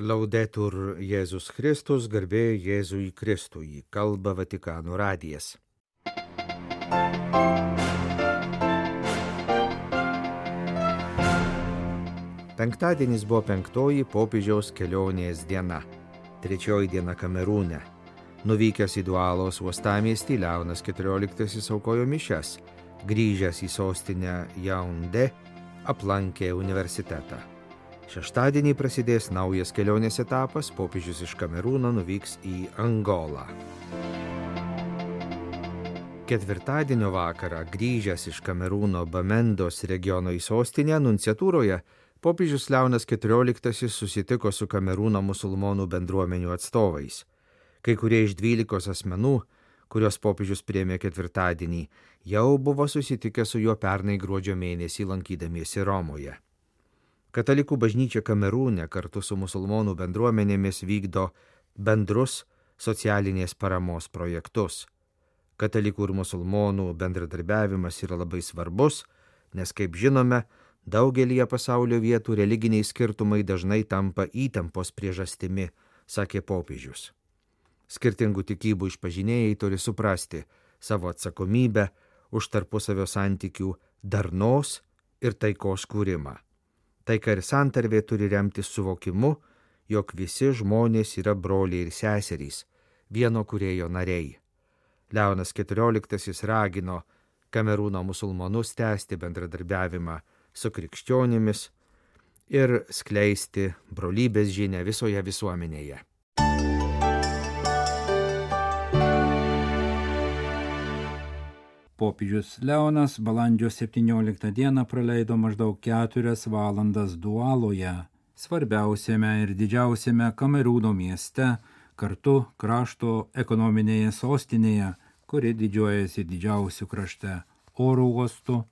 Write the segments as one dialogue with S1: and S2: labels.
S1: Laudetur Jėzus Kristus, garbė Jėzui Kristui, kalba Vatikano radijas. Penktadienis buvo 5 popiežiaus kelionės diena, 3 diena Kamerūne. Nuvykęs į Dualos uostamiestį, Leonas XIV aukojo mišias, grįžęs į sostinę Jaunde, aplankė universitetą. Šeštadienį prasidės naujas kelionės etapas, popiežius iš Kamerūno nuvyks į Angolą. Ketvirtadienio vakarą, grįžęs iš Kamerūno Bamendos regiono į sostinę, nunciatūroje, popiežius Leonas XIV susitiko su Kamerūno musulmonų bendruomenių atstovais. Kai kurie iš 12 asmenų, kurios popiežius priėmė ketvirtadienį, jau buvo susitikę su juo pernai gruodžio mėnesį lankydamiesi Romoje. Katalikų bažnyčia Kamerūne kartu su musulmonų bendruomenėmis vykdo bendrus socialinės paramos projektus. Katalikų ir musulmonų bendradarbiavimas yra labai svarbus, nes, kaip žinome, daugelyje pasaulio vietų religiniai skirtumai dažnai tampa įtampos priežastimi, sakė popiežius. Skirtingų tikybų išpažinėjai turi suprasti savo atsakomybę už tarpusavio santykių darnos ir taikos kūrimą. Taika ir santarvė turi remtis suvokimu, jog visi žmonės yra broliai ir seserys, vieno kūrėjo nariai. Leonas XIV ragino Kamerūno musulmonus tęsti bendradarbiavimą su krikščionimis ir skleisti brolybės žinią visoje visuomenėje.
S2: Popiežius Leonas balandžio 17 dieną praleido maždaug 4 valandas Dualoje, svarbiausiame ir didžiausiame Kamerūno mieste, kartu krašto ekonominėje sostinėje, kuri didžiuojasi didžiausiu krašte oro uostu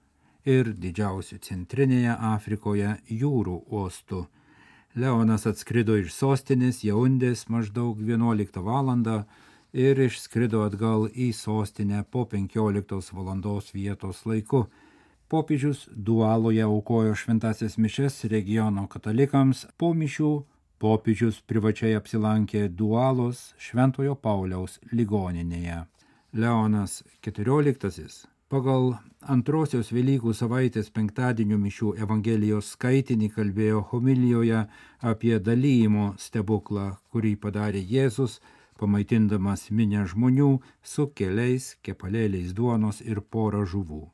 S2: ir didžiausiu centrinėje Afrikoje jūrų uostu. Leonas atskrido iš sostinės Jaundės maždaug 11 valandą, ir išskrido atgal į sostinę po 15 valandos vietos laiku. Popiežius Dualoje aukojo šventąsias mišias regiono katalikams. Po mišių popiežius privačiai apsilankė Dualos Šventojo Pauliaus ligoninėje. Leonas XIV pagal antrosios Velykų savaitės penktadienio mišių Evangelijos skaitinį kalbėjo homilijoje apie dalijimo stebuklą, kurį padarė Jėzus, pamaitindamas minią žmonių su keliais kepalėliais duonos ir porą žuvų.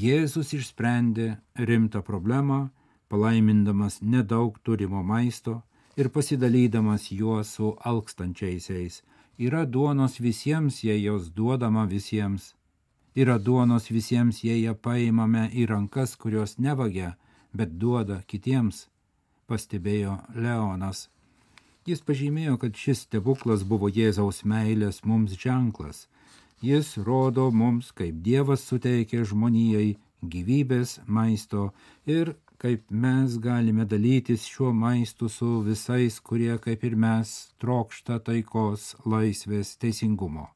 S2: Jėzus išsprendė rimtą problemą, palaimindamas nedaug turimo maisto ir pasidalydamas juo su alkstančiaisiais. Yra duonos visiems, jei jos duodama visiems. Yra duonos visiems, jei ją paimame į rankas, kurios nevagia, bet duoda kitiems, pastebėjo Leonas. Jis pažymėjo, kad šis stebuklas buvo Jėzaus meilės mums ženklas. Jis rodo mums, kaip Dievas suteikė žmonijai gyvybės maisto ir kaip mes galime dalytis šiuo maistu su visais, kurie, kaip ir mes, trokšta taikos, laisvės, teisingumo.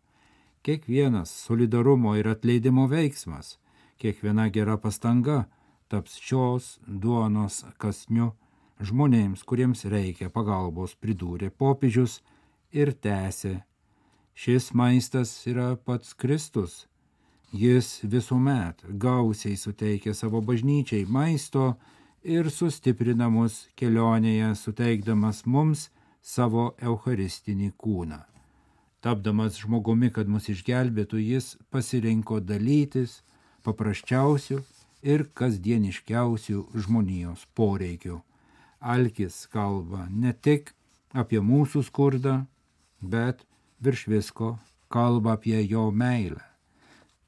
S2: Kiekvienas solidarumo ir atleidimo veiksmas, kiekviena gera pastanga taps šios duonos kąsniu žmonėms, kuriems reikia pagalbos, pridūrė popiežius ir tęsė. Šis maistas yra pats Kristus. Jis visuomet gausiai suteikia savo bažnyčiai maisto ir sustiprina mus kelionėje, suteikdamas mums savo eucharistinį kūną. Tapdamas žmogumi, kad mus išgelbėtų, jis pasirinko dalytis paprasčiausių ir kasdieniškiausių žmonijos poreikių. Alkis kalba ne tik apie mūsų skurdą, bet virš visko kalba apie jo meilę.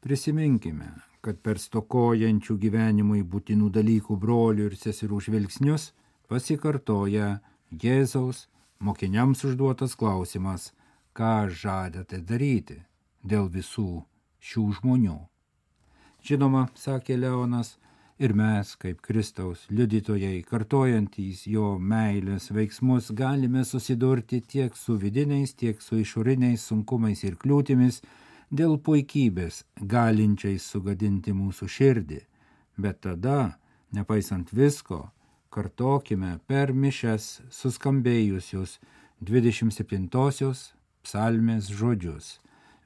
S2: Prisiminkime, kad per stokojančių gyvenimui būtinų dalykų brolių ir seserų žvilgsnius pasikartoja Jėzaus mokiniams užduotas klausimas, ką žadate daryti dėl visų šių žmonių. Žinoma, sakė Leonas, ir mes, kaip Kristaus liudytojai, kartojantys jo meilės veiksmus, galime susidurti tiek su vidiniais, tiek su išoriniais sunkumais ir kliūtimis dėl puikybės, galinčiais sugadinti mūsų širdį. Bet tada, nepaisant visko, kartokime per mišias suskambėjusius 27-osios psalmės žodžius.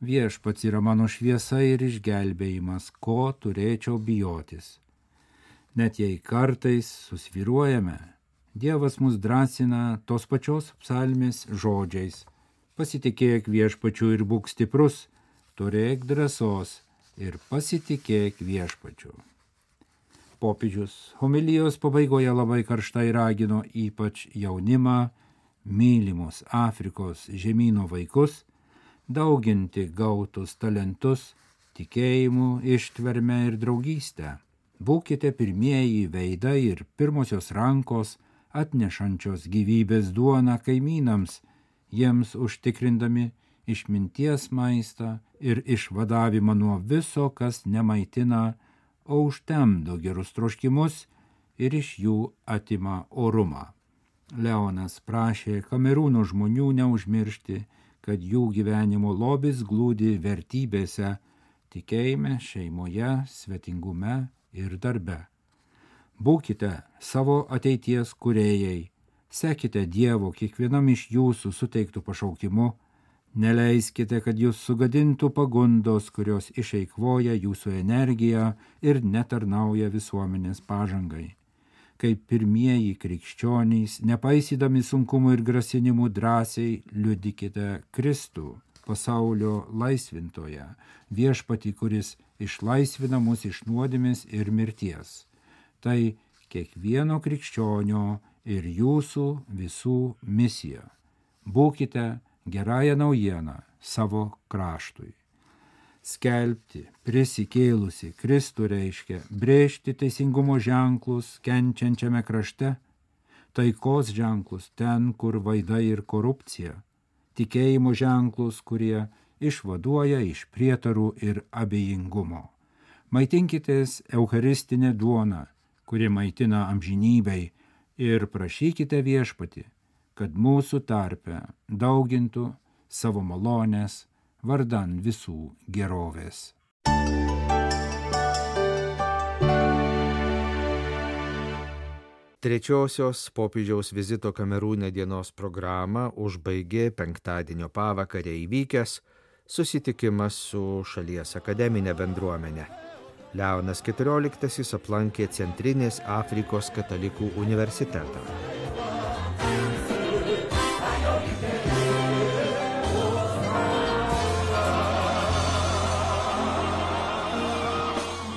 S2: Viešpats yra mano šviesa ir išgelbėjimas, ko turėčiau bijotis. Net jei kartais susvyruojame, Dievas mus drąsina tos pačios psalmės žodžiais. Pasitikėk viešpačiu ir būk stiprus, turėk drąsos ir pasitikėk viešpačiu. Popiežius homilijos pabaigoje labai karštai ragino ypač jaunimą, mylimus Afrikos žemyno vaikus, dauginti gautus talentus, tikėjimu, ištverme ir draugystę. Būkite pirmieji veidai ir pirmosios rankos, atnešančios gyvybės duoną kaimynams, jiems užtikrindami išminties maistą ir išvadavimą nuo viso, kas nemaitina, o užtemdo gerus troškimus ir iš jų atima orumą. Leonas prašė Kamerūno žmonių neužmiršti, kad jų gyvenimo lobis glūdi vertybėse, tikėjime, šeimoje, svetingume ir darbe. Būkite savo ateities kūrėjai, sekite Dievo kiekvienam iš jūsų suteiktų pašaukimu, neleiskite, kad jūs sugadintų pagundos, kurios išeikvoja jūsų energiją ir netarnauja visuomenės pažangai. Kaip pirmieji krikščionys, nepaisydami sunkumų ir grasinimų drąsiai liudykite Kristų, pasaulio laisvintoją, viešpatį, kuris išlaisvina mus iš nuodėmės ir mirties. Tai kiekvieno krikščionio ir jūsų visų misija. Būkite gerąją naujieną savo kraštui. Skelbti prisikėlusi Kristų reiškia brėžti teisingumo ženklus kenčiančiame krašte, taikos ženklus ten, kur vaida ir korupcija, tikėjimo ženklus, kurie išvaduoja iš prietarų ir abejingumo. Maitinkitės eucharistinę duoną, kuri maitina amžinybei, ir prašykite viešpatį, kad mūsų tarpe daugintų savo malonės vardan visų gerovės.
S1: Trečiosios popiežiaus vizito Kamerūne dienos programą užbaigė penktadienio pavakarę įvykęs susitikimas su šalies akademinė bendruomenė. Leonas XIV aplankė Centrinės Afrikos katalikų universitetą.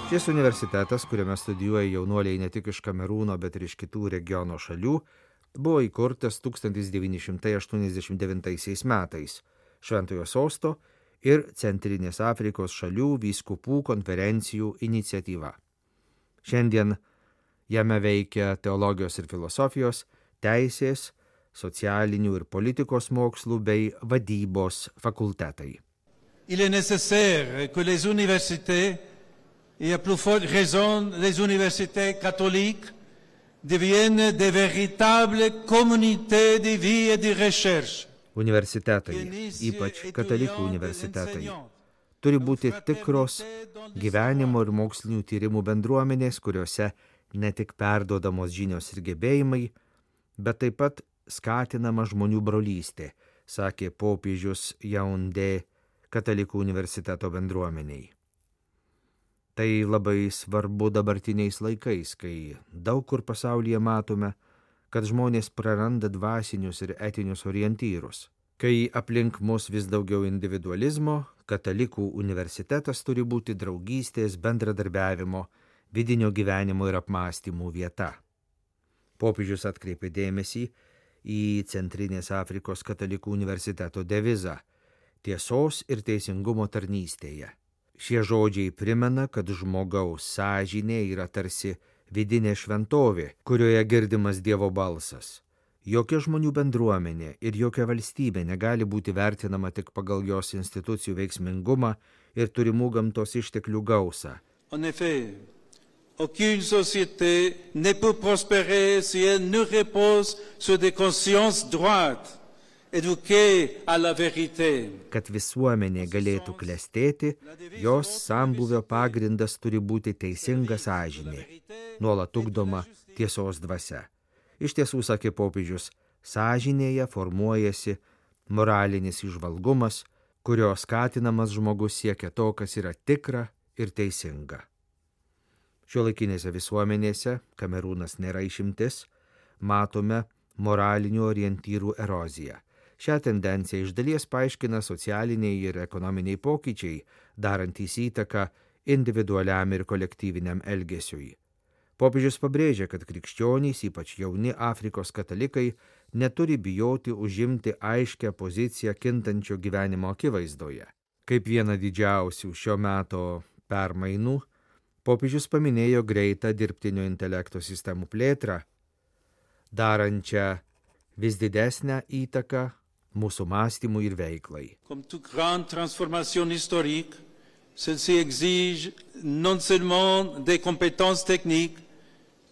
S1: Šis universitetas, kuriame studijuoja jaunuoliai ne tik iš Kamerūno, bet ir iš kitų regiono šalių, buvo įkurtas 1989 metais Šventojo Sosto ir Centrinės Afrikos šalių vyskupų konferencijų iniciatyva. Šiandien jame veikia teologijos ir filosofijos, teisės, socialinių ir politikos mokslų bei vadybos fakultetai.
S3: Il est nécessaire que les universités, et à plus forte raison les universités catholiques, deviennent de véritables communautés de vie et de recherche.
S1: Universitetai, ypač katalikų universitetai, turi būti tikros gyvenimo ir mokslinių tyrimų bendruomenės, kuriuose ne tik perduodamos žinios ir gebėjimai, bet taip pat skatinama žmonių brolystė, sakė popiežius Jaundė katalikų universiteto bendruomeniai. Tai labai svarbu dabartiniais laikais, kai daug kur pasaulyje matome, kad žmonės praranda dvasinius ir etinius orientyrus. Kai aplink mus vis daugiau individualizmo, katalikų universitetas turi būti draugystės, bendradarbiavimo, vidinio gyvenimo ir apmąstymų vieta. Popiežius atkreipė dėmesį į Centrinės Afrikos katalikų universiteto devizą – tiesos ir teisingumo tarnystėje. Šie žodžiai primena, kad žmogaus sąžinė yra tarsi vidinė šventovė, kurioje girdimas Dievo balsas. Jokia žmonių bendruomenė ir jokia valstybė negali būti vertinama tik pagal jos institucijų veiksmingumą ir turimų gamtos išteklių gausą.
S3: En effet, aucune société ne peut prospérer si elle ne repose sur des consciences droites, éduquées à la vérité.
S1: Kad visuomenė galėtų klestėti, jos sambūvio pagrindas turi būti teisinga sąžinė, nuolat ugdoma tiesos dvasia. Iš tiesų, sakė popiežius, sąžinėje formuojasi moralinis įžvalgumas, kurio skatinamas žmogus siekia to, kas yra tikra ir teisinga. Šiuolaikinėse visuomenėse, Kamerūnas nėra išimtis, matome moralinių orientyrų eroziją. Šią tendenciją iš dalies paaiškina socialiniai ir ekonominiai pokyčiai, darantys įtaką individualiam ir kolektyviniam elgesiui. Popiežius pabrėžia, kad krikščionys, ypač jauni Afrikos katalikai, neturi bijoti užimti aiškę poziciją kintančio gyvenimo akivaizdoje. Kaip vieną didžiausių šio meto permainų, popiežius paminėjo greitą dirbtinio intelekto sistemų plėtrą, darančią vis didesnę įtaką mūsų mąstymui ir veiklai.
S3: Comme toute grande transformation historique, celle-ci exige non seulement des compétences techniques,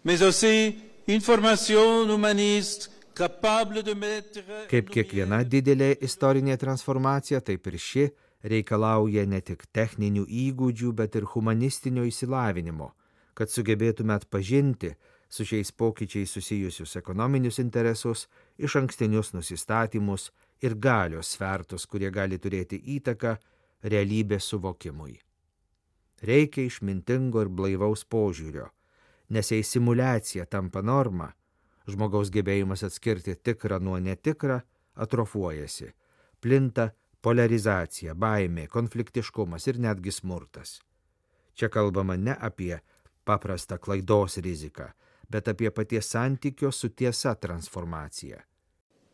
S3: mais aussi une formation humaniste capable de mettre...
S1: Kaip kiekviena didelė istorinė transformacija, taip ir ši reikalauja ne tik techninių įgūdžių, bet ir humanistinio išsilavinimo, kad sugebėtume atpažinti su šiais pokyčiais susijusius ekonominius interesus, išankstinius nusistatymus ir galios svertus, kurie gali turėti įtaką realybės suvokimui. Reikia išmintingo ir blaivaus požiūrio, nes jei simuliacija tampa norma, žmogaus gebėjimas atskirti tikrą nuo netikrą atrofuojasi, plinta polarizacija, baimė, konfliktiškumas ir netgi smurtas. Čia kalbama ne apie paprastą klaidos riziką, bet apie paties santykio su tiesa transformaciją.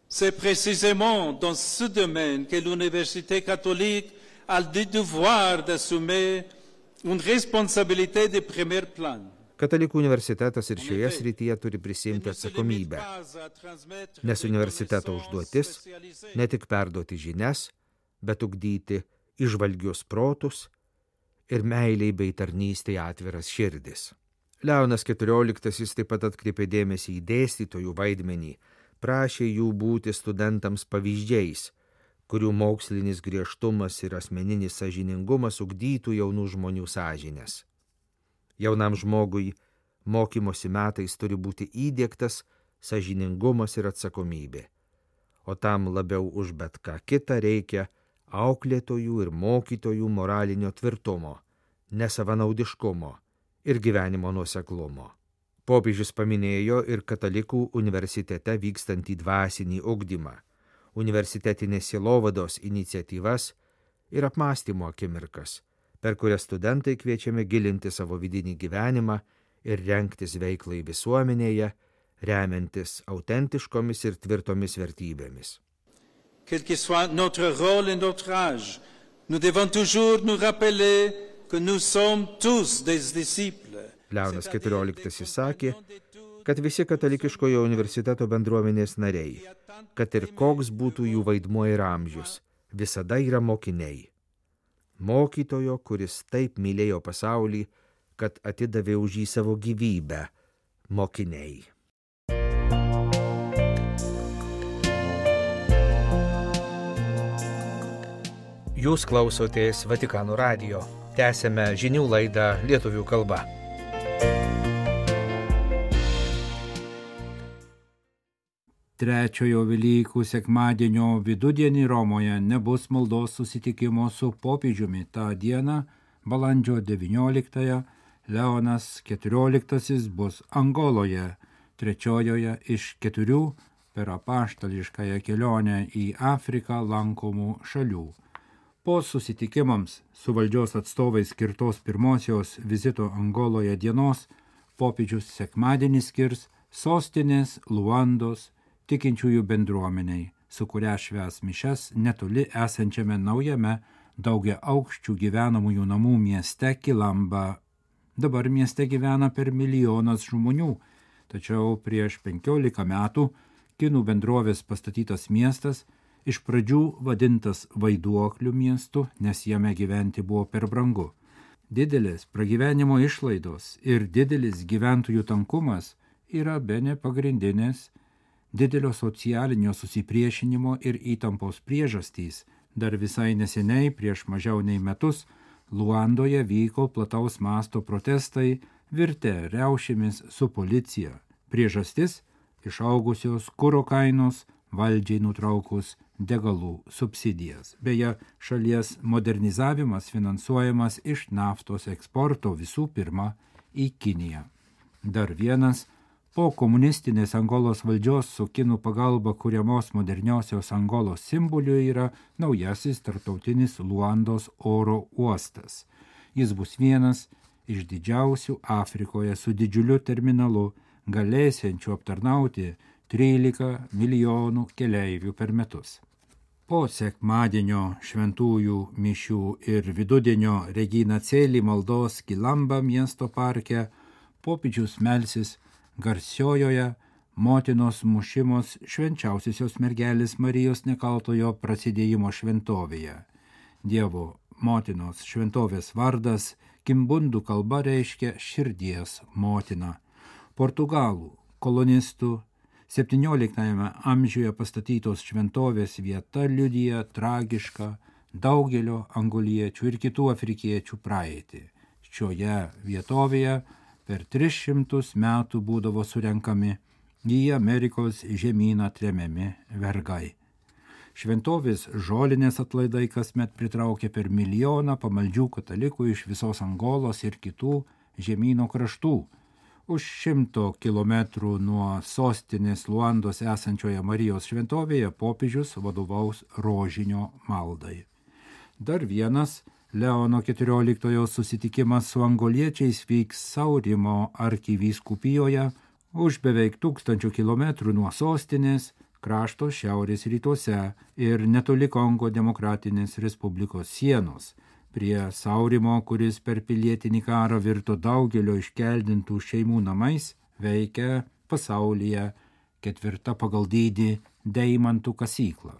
S3: C'est précisément dans ce domaine que l'Université catholique a le devoir d'assumer une responsabilité de premier plan.
S1: Katalikų universitetas ir šioje srityje turi prisimti atsakomybę, nes universiteto užduotis ne tik perduoti žinias, bet ugdyti įžvalgius protus ir meiliai bei tarnystei atviras širdis. Leonas XIV taip pat atkreipė dėmesį į dėstytojų vaidmenį, prašė jų būti studentams pavyzdžiais, kurių mokslinis griežtumas ir asmeninis sąžiningumas ugdytų jaunų žmonių sąžines. Jaunam žmogui mokymosi metais turi būti įdiegtas sąžiningumas ir atsakomybė, o tam labiau už bet ką kitą reikia auklėtojų ir mokytojų moralinio tvirtumo, nesavanaudiškumo ir gyvenimo nuoseklumo. Popiežius paminėjo ir katalikų universitete vykstantį dvasinį ugdymą, universitetinės sielovados iniciatyvas ir apmąstymo akimirkas, per kurias studentai kviečiami gilinti savo vidinį gyvenimą ir rengtis veiklai visuomenėje, remiantis autentiškomis ir tvirtomis vertybėmis.
S3: Quel que soit notre rôle et notre âge, nous devons toujours nous rappeler que nous sommes tous des disciples.
S1: Leonas XIV sakė, kad visi katalikiškojo universiteto bendruomenės nariai, kad ir koks būtų jų vaidmuo ir amžius, visada yra mokiniai. Mokytojo, kuris taip mylėjo pasaulį, kad atidavė už jį savo gyvybę, mokiniai. Jūs klausotės Vatikano radijo. Tęsėme žinių laidą lietuvių kalba.
S2: Trečiojo Velykų sekmadienio vidudienį Romoje nebus maldos susitikimo su popiežiumi. Ta diena, balandžio 19-ąją, Leonas XIV bus Angoloje, trečiojoje iš 4 per apaštališkąją kelionę į Afriką lankomų šalių. Po susitikimams su valdžios atstovais skirtos pirmosios vizito Angoloje dienos, popiežius sekmadienį skirs sostinės Luandos tikinčiųjų bendruomeniai, su kuria švęs mišias netoli esančiame naujame daugiaaukščių gyvenamųjų namų mieste Kilamba. Dabar mieste gyvena per 1 milijonas žmonių, tačiau prieš 15 metų kinų bendrovės pastatytas miestas iš pradžių vadintas vaiduoklių miestu, nes jame gyventi buvo per brangu. Didelės pragyvenimo išlaidos ir didelis gyventojų tankumas yra bene pagrindinės didelio socialinio susipriešinimo ir įtampos priežastys. Dar visai neseniai, prieš mažiau nei metus, Luandoje vyko plataus masto protestai, virtę riaušėmis su policija. Priežastis išaugusios kuro kainos, valdžiai nutraukus degalų subsidijas. Beje, šalies modernizavimas finansuojamas iš naftos eksporto visų pirma į Kiniją. Dar vienas po komunistinės Angolos valdžios su kinų pagalba kuriamos moderniosios Angolos simboliu yra naujasis tarptautinis Luandos oro uostas. Jis bus vienas iš didžiausių Afrikoje su didžiuliu terminalu, galėsiančiu aptarnauti 13 milijonų keleivių per metus. Po sekmadienio šventųjų mišių ir vidudienio Regina Coeli maldos Kilamba miesto parke popiežius melsis garsiojoje motinos mušimos švenčiausiosios mergelės Marijos nekaltojo prasidėjimo šventovėje. Dievo motinos šventovės vardas kimbundų kalba reiškia širdies motina. Portugalų kolonistų 17 amžiuje pastatytos šventovės vieta liudija tragišką daugelio angoliečių ir kitų afrikiečių praeitį. Šioje vietovėje per 300 metų būdavo surenkami į Amerikos žemyną tremiami vergai. Šventovės žolinės atlaidai kasmet pritraukė per 1 milijoną pamaldžių katalikų iš visos Angolos ir kitų žemyno kraštų. Už 100 kilometrų nuo sostinės Luandos esančioje Marijos šventovėje popiežius vadovaus rožinio maldai. Dar vienas Leono XIV susitikimas su angoliečiais vyks Saurimo arkivyskupijoje už beveik 1000 kilometrų nuo sostinės krašto šiaurės rytuose ir netoli Kongo demokratinės respublikos sienos. Prie Saurimo, kuris per pilietinį karą virto daugelio iškeldintų šeimų namais, veikia pasaulyje 4. pagal dydį deimantų kasykla.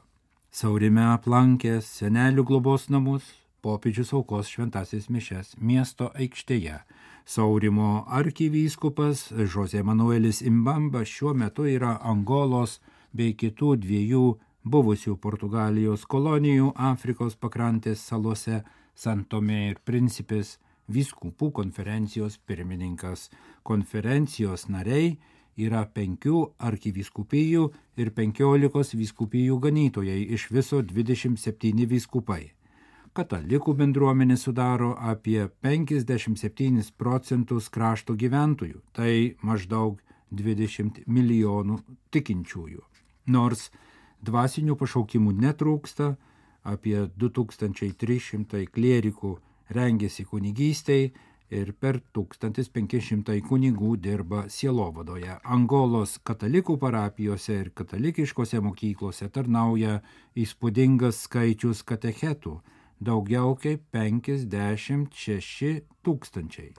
S2: Saurime aplankęs senelių globos namus, popiežius aukos šventasis mišias miesto aikštėje. Saurimo arkivyskupas José Manuelis Imbamba šiuo metu yra Angolos bei kitų 2 buvusių Portugalijos kolonijų Afrikos pakrantės salose San Tomé ir Principės vyskupų konferencijos pirmininkas. Konferencijos nariai yra 5 arkivyskupijų ir 15 vyskupijų ganytojai, iš viso 27 vyskupai. Katalikų bendruomenė sudaro apie 57% krašto gyventojų, tai maždaug 20 milijonų tikinčiųjų. Nors dvasinių pašaukimų netrūksta, apie 2300 klierikų rengiasi kunigystei ir per 1500 kunigų dirba sielovadoje. Angolos katalikų parapijose ir katalikiškose mokyklose tarnauja įspūdingas skaičius katechetų, daugiau kaip 56 000.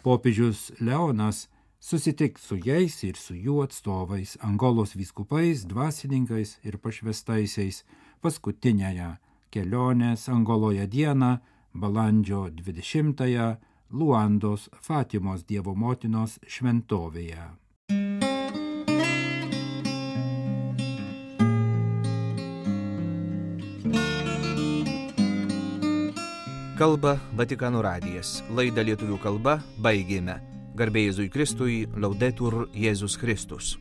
S2: Popiežius Leonas susitiks su jais ir su jų atstovais, Angolos vyskupais, dvasininkais ir pašvestaisiais paskutinėje kelionės Angoloje dieną, balandžio 20-ąją, Luandos Fatimos Dievo motinos šventovėje.
S1: Kalba Vatikano radijas. Laidą lietuvių kalba baigėme. Garbė Jėzui Kristui, Laudetur Jėzus Kristus.